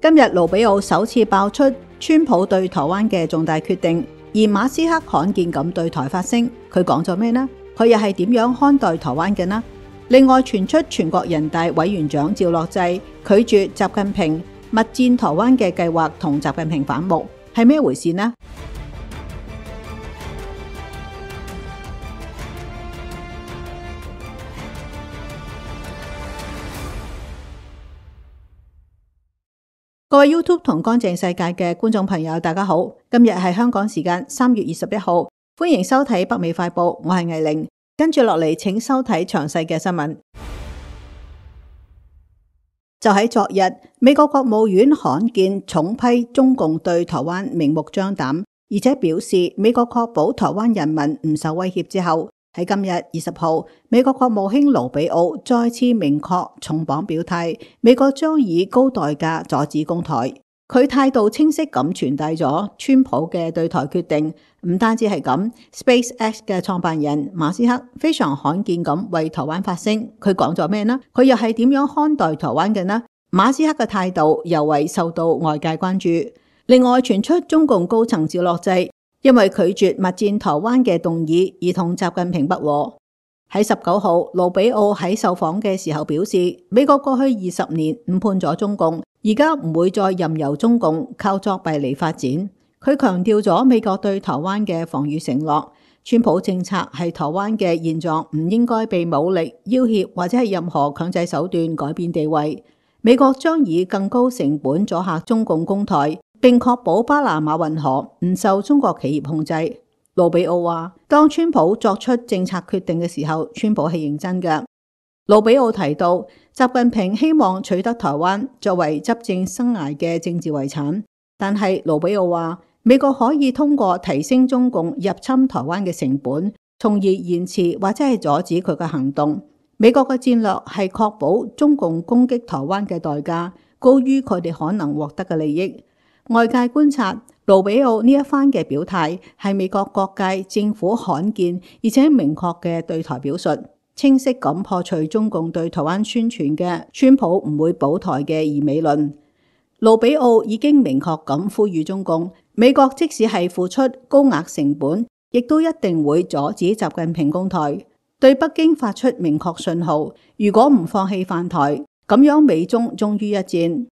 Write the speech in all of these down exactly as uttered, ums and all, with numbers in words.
今日盧比奧首次爆出川普對台灣嘅重大決定，而馬斯克罕見咁對台發聲，佢講咗咩呢？佢又係點樣看待台灣嘅呢？另外傳出全國人大委員長趙樂際拒絕習近平密戰台灣嘅計劃同習近平反目，係咩回事呢？各位 YouTube 同乾淨世界嘅觀眾朋友，大家好，今日係香港時間三月二十一號，歡迎收睇北美快報，我係藝玲，跟住落嚟請收睇詳細嘅新聞。就喺昨日，美國國務院罕見重批中共對台灣明目張膽，而且表示美國確保台灣人民唔受威脅之後，喺今日二十號，美國國務卿盧比奧再次明確重磅表態，美國將以高代價阻止攻台。佢態度清晰咁傳遞咗川普嘅對台決定。唔單止係咁 ，SpaceX 嘅創辦人馬斯克非常罕見咁為台灣發聲。佢講咗咩呢？佢又係點樣看待台灣嘅呢？馬斯克嘅態度尤為受到外界關注。另外傳出中共高層趙樂際因為拒絕密戰台灣嘅動議而同習近平不和。喺十九號，盧比奧喺受訪嘅時候表示，美國過去二十年誤判咗中共，而家唔會再任由中共靠作弊嚟發展。佢強調咗美國對台灣嘅防禦承諾，川普政策係台灣嘅現狀唔應該被武力要挾或者係任何強制手段改變地位。美國將以更高成本阻嚇中共攻台，並確保巴拿馬運河唔受中國企業控制。盧比奧話，當川普作出政策決定嘅時候，川普係認真嘅。盧比奧提到，習近平希望取得台灣作為執政生涯嘅政治遺產，但係盧比奧話，美國可以通過提升中共入侵台灣嘅成本，從而延遲或者係阻止佢嘅行動。美國嘅戰略係確保中共攻擊台灣嘅代價高於佢哋可能獲得嘅利益。外界觀察，盧比奧呢一番嘅表態係美國各界政府罕見而且明確嘅對台表述，清晰咁破除中共對台灣宣傳嘅川普唔會保台嘅疑美論。盧比奧已經明確咁呼籲中共，美國即使係付出高額成本，亦都一定會阻止習近平攻台，對北京發出明確信號，如果唔放棄犯台，咁樣美中終於一戰。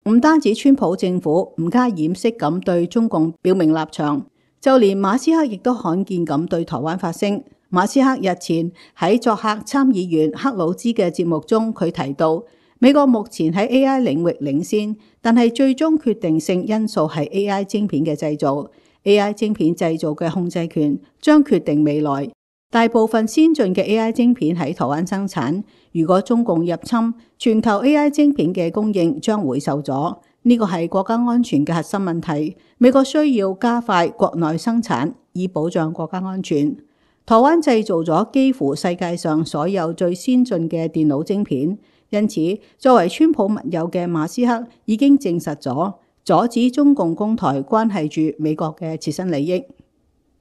唔單止川普政府唔加掩飾咁對中共表明立場，就連馬斯克亦都罕見咁對台灣發聲。馬斯克日前喺作客參議員克魯茲嘅節目中，佢提到美國目前喺 A I 領域領先，但係最終決定性因素係 A I 晶片嘅製造。A I 晶片製造嘅控制權將決定未來。大部分先進嘅 A I 晶片喺台灣生產，如果中共入侵，全球 A I 晶片嘅供應將會受阻。呢個係國家安全嘅核心問題，美國需要加快國內生產，以保障國家安全。台灣製造咗幾乎世界上所有最先進嘅電腦晶片，因此作為川普密友嘅馬斯克已經證實咗，阻止中共攻台關係住美國嘅切身利益。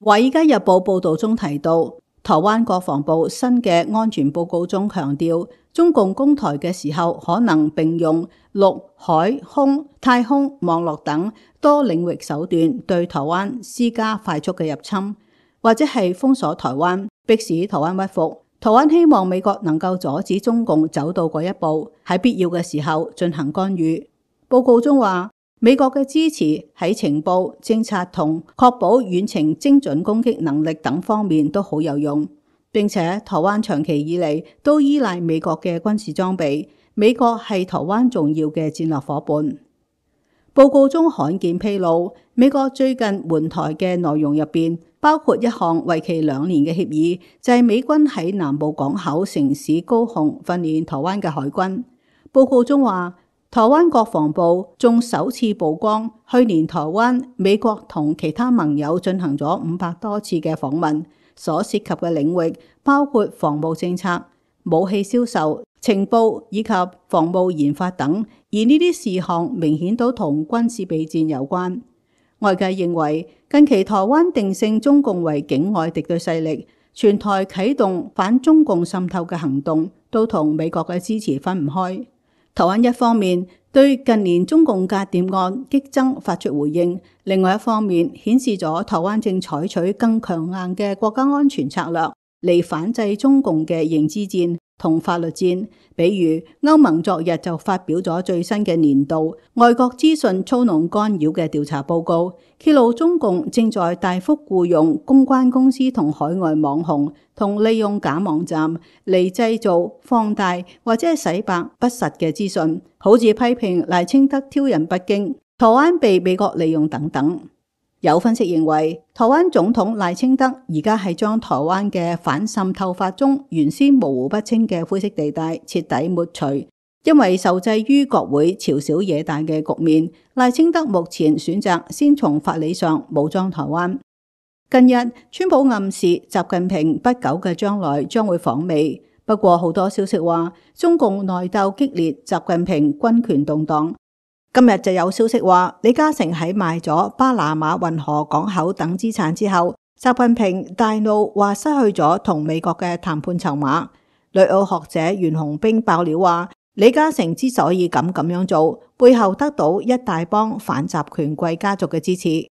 華爾街日報報道中提到，台灣國防部新嘅安全報告中強調，中共攻台嘅時候可能並用陸、海、空、太空、網絡等多領域手段對台灣施加快速嘅入侵，或者係封鎖台灣，迫使台灣屈服。台灣希望美國能夠阻止中共走到嗰一步，喺必要嘅時候進行干預。報告中話，美國嘅支持喺情報、政策同確保遠程精準攻擊能力等方面都好有用，並且台灣長期以嚟都依賴美國嘅軍事裝備，美國係台灣重要嘅戰略夥伴。報告中罕見披露，美國最近援台嘅內容入邊包括一項為期兩年嘅協議，就係美軍喺南部港口城市高雄訓練台灣嘅海軍。報告中話，台灣國防部仲首次曝光，去年台灣美國同其他盟友進行咗五百多次嘅訪問，所涉及嘅領域包括防務政策、武器銷售、情報以及防務研發等，而呢啲事項明顯都同軍事備戰有關。外界認為，近期台灣定性中共為境外敵對勢力，全台啟動反中共滲透嘅行動，都同美國嘅支持分唔開。台灣一方面對近年中共間諜案激增發出回應。另外一方面，顯示咗台灣正採取更強硬嘅國家安全策略嚟反制中共嘅認知戰同法律戰。比如歐盟昨日就發表咗最新嘅年度外國資訊操弄干擾嘅調查報告，揭露中共正在大幅僱用公關公司同海外網紅，同利用假網站嚟製造、放大或者洗白不實嘅資訊，好似批評賴清德挑釁北京、台灣被美國利用等等。有分析認為，台灣總統賴清德而家係將台灣嘅反滲透法中原先模糊不清嘅灰色地帶徹底抹除，因為受制於國會朝小野大嘅局面，賴清德目前選擇先從法理上武裝台灣。近日，川普暗示習近平不久嘅將來將會訪美，不過好多消息話中共內鬥激烈，習近平軍權動盪。今日就有消息話，李嘉誠喺賣咗巴拿馬運河港口等資產之後，習近平大怒，話失去咗同美國嘅談判籌碼。旅澳學者袁紅冰爆料話，李嘉誠之所以敢咁樣做，背後得到一大幫反習權貴家族嘅支持。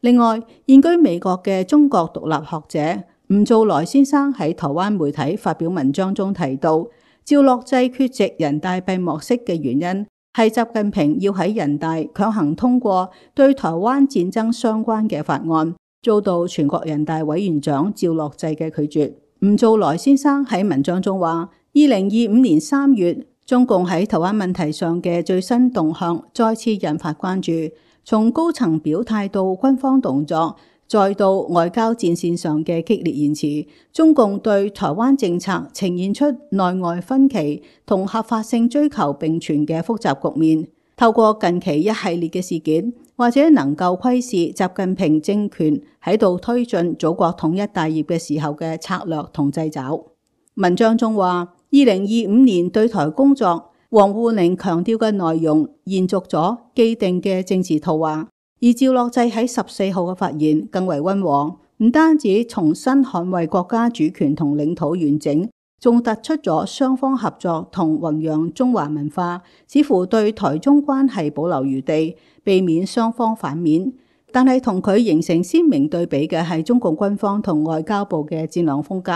另外，現居美國嘅中國獨立學者吳藻來先生喺台灣媒體發表文章中提到，趙樂際缺席人大閉幕式嘅原因，係習近平要喺人大強行通過對台灣戰爭相關嘅法案，遭到全國人大委員長趙樂際嘅拒絕。吳藻來先生喺文章中話，二零二五年三月，中共喺台灣問題上嘅最新動向再次引發關注，從高層表態到軍方動作，再到外交戰線上嘅激烈言辭，中共對台灣政策呈現出內外分歧同合法性追求並存嘅複雜局面。透過近期一系列嘅事件，或者能夠窺視習近平政權喺度推進祖國統一大業嘅時候嘅策略同掣肘。文章中話，二零二五年對台工作，王滬寧強調嘅內容延續咗既定嘅政治圖畫。而趙樂際喺十四號嘅發言更為溫和，唔單止重新捍衛國家主權同領土完整，仲突出咗雙方合作同弘揚中華文化，似乎對台中關係保留餘地，避免雙方反面。但係同佢形成鮮明對比嘅係中共軍方同外交部嘅戰略風格，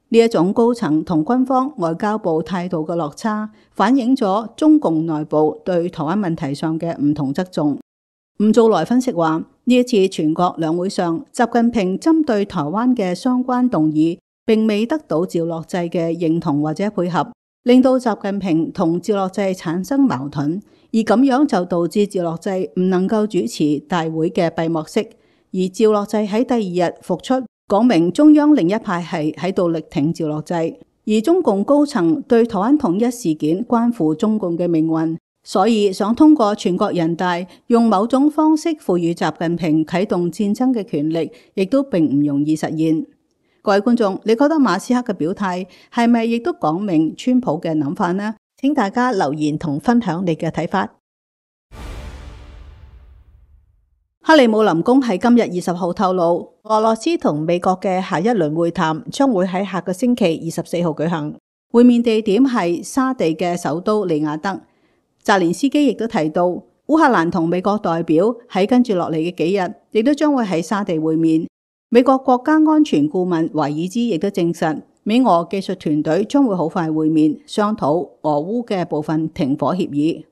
呢一種高層同軍方外交部態度嘅落差，反映咗中共內部對台灣問題上嘅唔同側重。吳藻來分析話，呢一次全國兩會上，習近平針對台灣嘅相關動議，並未得到趙樂際嘅認同或者配合，令到習近平同趙樂際產生矛盾，而咁樣就導致趙樂際唔能夠主持大會嘅閉幕式。而趙樂際喺第二日復出，講明中央另一派系喺度力挺趙樂際，而中共高層對台灣統一事件關乎中共嘅命運。所以想通過全國人大用某種方式賦予習近平啟動戰爭嘅權力，亦都並唔容易實現。各位觀眾，你覺得馬斯克嘅表態係咪亦都講明川普嘅諗法呢？請大家留言同分享你嘅睇法。克里姆林宮喺今日二十號透露，俄羅斯同美國嘅下一輪會談將會喺下個星期二十四號舉行，會面地點係沙地嘅首都利雅德。澤連斯基亦都提到，烏克蘭同美國代表喺跟住落嚟嘅幾日，亦都將會喺沙地會面。美國國家安全顧問懷爾茲亦都證實，美俄技術團隊將會好快會面，商討俄烏嘅部分停火協議。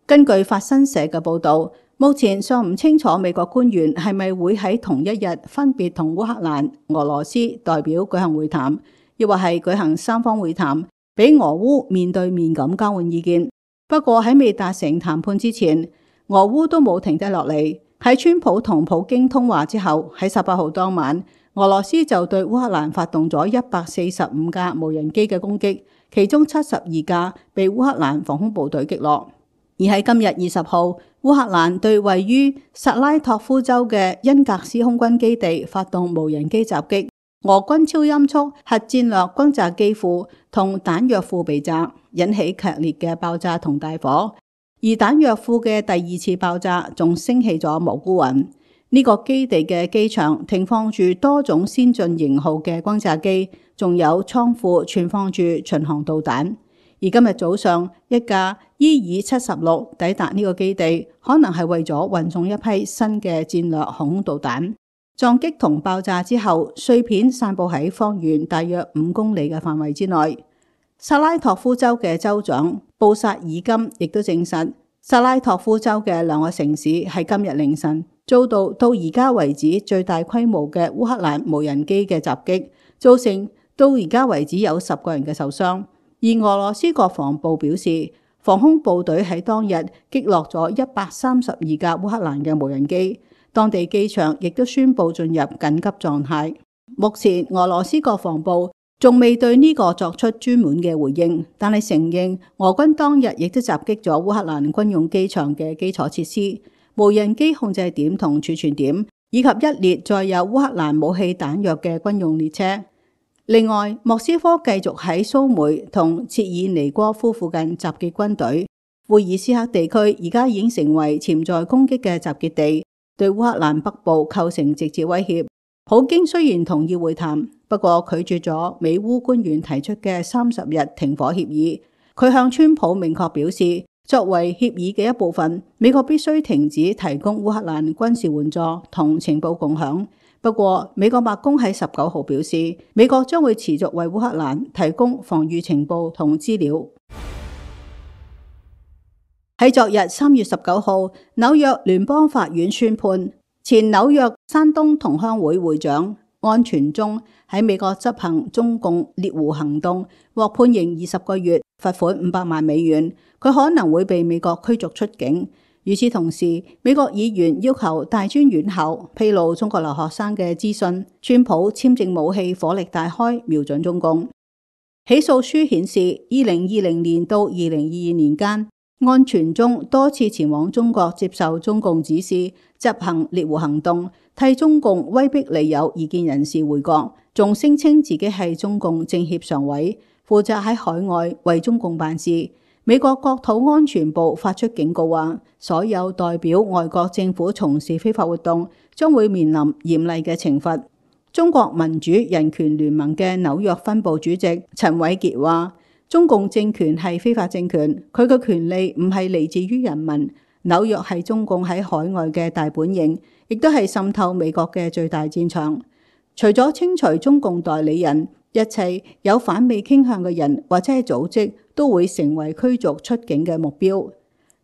根據法新社嘅報道，目前尚唔清楚美國官員係咪會喺同一日分別同烏克蘭、俄羅斯代表舉行會談，亦或係舉行三方會談，俾俄烏面對面咁交換意見。不過喺未達成談判之前，俄烏都冇停低落嚟。喺川普同普京通話之後，喺十八號當晚，俄羅斯就對烏克蘭發動咗一百四十五架無人機嘅攻擊，其中七十二架被烏克蘭防空部隊擊落。而喺今日二十號，烏克蘭對位於薩拉托夫州嘅恩格斯空軍基地發動無人機襲擊，俄軍超音速核戰略轟炸機庫同彈藥庫被炸，引起劇烈嘅爆炸同大火。而彈藥庫嘅第二次爆炸仲升起咗蘑菇雲。呢、這個基地嘅機場停放住多種先進型號嘅轟炸機，仲有倉庫存放住巡航導彈。而今日早上，一架伊爾七十六抵達呢個基地，可能係為咗運送一批新嘅戰略航空導彈。撞擊同爆炸之後，碎片散佈喺方圓大約五公里嘅範圍之內。薩拉托夫州嘅州長布薩爾金亦都證實，薩拉托夫州嘅兩個城市喺今日凌晨遭到到而家為止最大規模嘅烏克蘭無人機嘅襲擊，造成到而家為止有十個人嘅受傷。而俄羅斯國防部表示，防空部隊喺當日擊落咗一百三十二架烏克蘭嘅無人機，當地機場亦都宣布進入緊急狀態。目前俄羅斯國防部仲未對呢個作出專門嘅回應，但係承認俄軍當日亦都襲擊咗烏克蘭軍用機場嘅基礎設施、無人機控制點同儲存點，以及一列載有烏克蘭武器彈藥嘅軍用列車。另外，莫斯科繼續喺蘇梅同切爾尼戈夫附近集結軍隊。庫爾斯克地區而家已經成為潛在攻擊嘅集結地，對烏克蘭北部構成直接威脅。普京雖然同意會談，不過拒絕咗美烏官員提出嘅三十日停火協議。佢向川普明確表示，作為協議嘅一部分，美國必須停止提供烏克蘭軍事援助同情報共享。不過，美國白宮喺十九號表示，美國將會持續為烏克蘭提供防禦情報同資料。喺昨日三月十九號，紐約聯邦法院宣判，前紐約山東同鄉會會長安全忠喺美國執行中共獵狐行動，獲判刑二十個月，罰款五百萬美元。佢可能會被美國驅逐出境。與此同時，美國議員要求大專院校披露中國留學生嘅資訊。川普簽證武器火力大開，瞄準中共。起訴書顯示，二零二零年到二零二二年間，安全忠多次前往中國接受中共指示，執行獵狐行動，替中共威逼利誘異見人士回國，仲聲稱自己係中共政協常委，負責喺海外為中共辦事。美國國土安全部發出警告話，所有代表外國政府從事非法活動將會面臨嚴厲嘅懲罰。中國民主人權聯盟嘅紐約分部主席陳偉傑話，中共政權係非法政權，佢嘅權利唔係嚟自於人民。紐約係中共喺海外嘅大本營，亦都係滲透美國嘅最大戰場。除咗清除中共代理人，一切有反美傾向嘅人或者係組織都會成為驅逐出境嘅目標。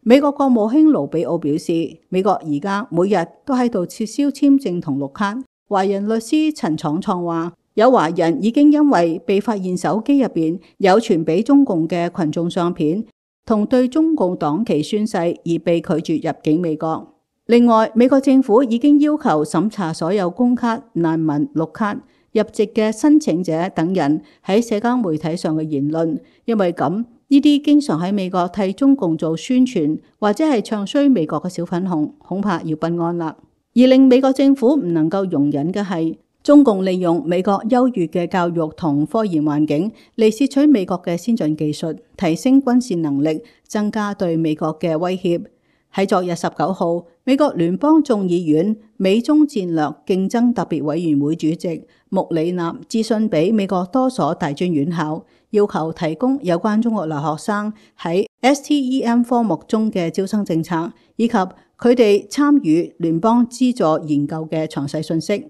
美國國務卿盧比奧表示，美國而家每日都喺度撤銷簽證同綠卡。華人律師陳闖創話，有華人已經因為被發現手機入邊有傳俾中共嘅群眾相片同對中共黨旗宣誓而被拒絕入境美國。另外，美國政府已經要求審查所有公卡、難民、綠卡、入籍嘅申請者等人喺社交媒體上嘅言論，因為咁呢啲經常喺美國替中共做宣傳或者係唱衰美國嘅小粉紅，恐怕要不安啦。而令美國政府唔能夠容忍嘅係，中共利用美國優越嘅教育同科研環境嚟竊取美國嘅先進技術，提升軍事能力，增加對美國嘅威脅。喺昨日十九號，美國聯邦眾議院美中戰略競爭特別委員會主席穆里納致信俾美國多所大專院校，要求提供有關中國留學生喺 S T E M 科目中嘅招生政策，以及佢哋參與聯邦資助研究嘅詳細信息。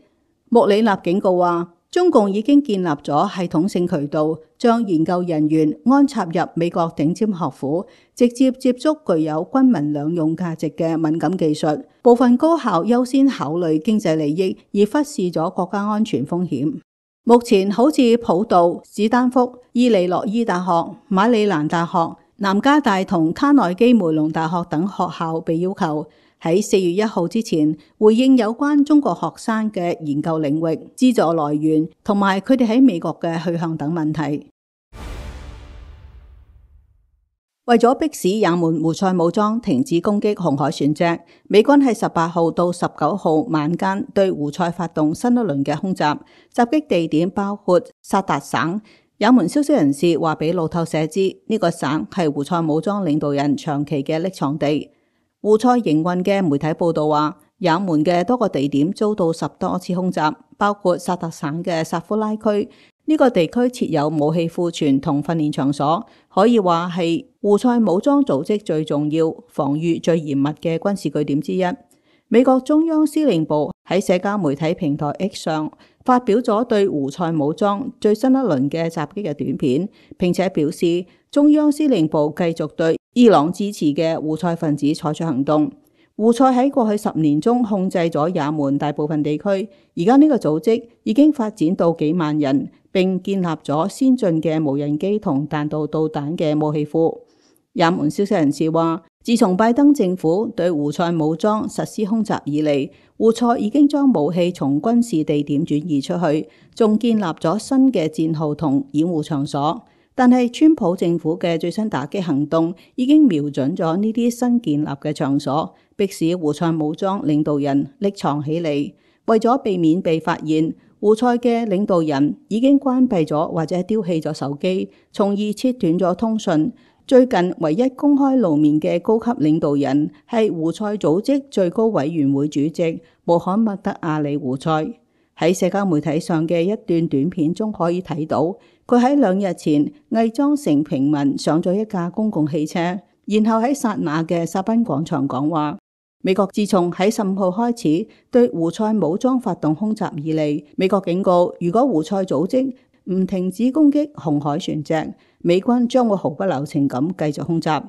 穆里納警告話，中共已經建立咗系統性渠道，將研究人員安插入美國頂尖學府，直接接觸具有軍民兩用價值嘅敏感技術。部分高校優先考慮經濟利益，而忽視咗國家安全風險。目前好似普渡、史丹福、伊利諾伊大學、馬里蘭大學、南加大同卡內基梅隆大學等學校被要求喺四月一號之前回應有關中國學生嘅研究領域、資助來源同埋佢哋喺美國嘅去向等問題。為咗迫使也門胡塞武裝停止攻擊紅海船隻，美軍喺十八號到十九號晚間對胡塞發動新一輪嘅空襲，襲擊地點包括薩達省。也門消息人士話俾路透社知，呢、這個省係胡塞武裝領導人長期嘅匿藏地。胡塞營運嘅媒體報道話，也門嘅多個地點遭到十多次空襲，包括薩特省嘅薩夫拉區、呢個地區設有武器庫存同訓練場所，可以話係胡塞武裝組織最重要、防禦最嚴密嘅軍事據點之一。美國中央司令部喺社交媒體平台 X 上發表咗對胡塞武裝最新一輪嘅襲擊嘅短片，並且表示中央司令部繼續對伊朗支持嘅胡塞分子採取行動。胡塞喺過去十年中控制咗也門大部分地區，而家呢個組織已經發展到幾萬人，並建立咗先進嘅無人機同彈道導彈嘅武器庫。也門消息人士話，自從拜登政府對胡塞武裝實施空襲以嚟，胡塞已經將武器從軍事地點轉移出去，仲建立咗新嘅戰壕同掩護場所。但係川普政府嘅最新打擊行動已經瞄準咗呢啲新建立嘅場所，迫使胡塞武裝領導人匿藏起嚟。為咗避免被發現，胡塞嘅領導人已經關閉咗或者丟棄咗手機，從而切斷咗通訊。最近唯一公開露面嘅高級領導人係胡塞組織最高委員會主席穆罕默德阿里胡塞。喺社交媒體上嘅一段短片中可以睇到，佢喺兩日前偽裝成平民上咗一架公共汽車，然後喺薩那嘅沙賓廣場講話。美國自從喺十五號開始對胡塞武裝發動空襲以嚟，美國警告，如果胡塞組織唔停止攻擊紅海船隻，美軍將會毫不留情咁繼續空襲。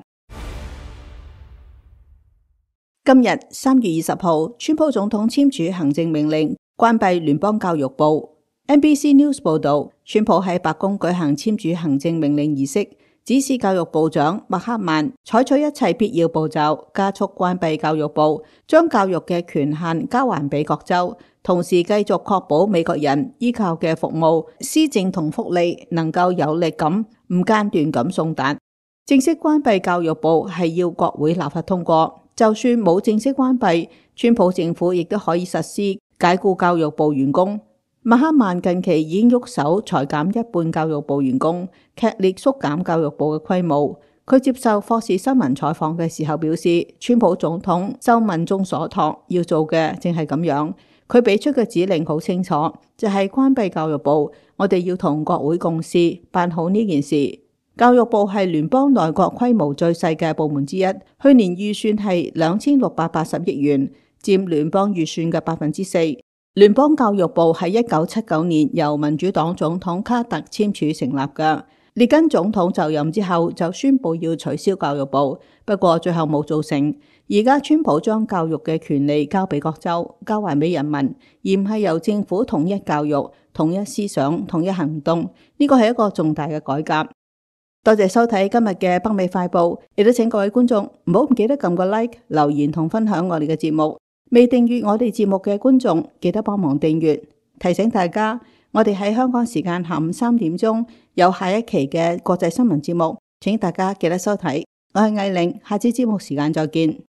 今日三月二十號，川普總統簽署行政命令關閉聯邦教育部。N B C News 報道，川普喺白宮舉行簽署行政命令儀式，指示教育部長麥克曼採取一切必要步驟，加速關閉教育部，將教育嘅權限交還俾各州，同時繼續確保美國人依靠嘅服務、施政同福利能夠有力咁唔間斷咁送達。正式關閉教育部係要國會立法通過，就算冇正式關閉，川普政府亦都可以實施解僱教育部員工。麥克曼近期已經喐手裁減一半教育部員工，劇烈縮減教育部嘅規模。佢接受霍士新聞採訪嘅時候表示，川普總統受民眾所託，要做嘅正係咁樣。佢俾出嘅指令好清楚，就係關閉教育部，我哋要同國會共事，辦好呢件事。教育部係聯邦內閣規模最細嘅部門之一，去年預算係兩千六百八十億元，佔聯邦預算嘅百分之四。聯邦教育部喺一九七九年由民主黨總統卡特簽署成立嘅。列根總統就任之後就宣布要取消教育部，不過最後冇做成。而家川普將教育嘅權利交俾各州，交還俾人民，而唔係由政府統一教育、統一思想、統一行動。呢個係一個重大嘅改革。多謝收睇今日嘅北美快報，亦都請各位觀眾唔好唔記得撳個 like、留言同分享我哋嘅節目。未訂閱我哋節目嘅觀眾，記得幫忙訂閱。提醒大家，我哋喺香港時間下午三點鐘有下一期嘅國際新聞節目，請大家記得收睇。我係艾玲，下次節目時間再見。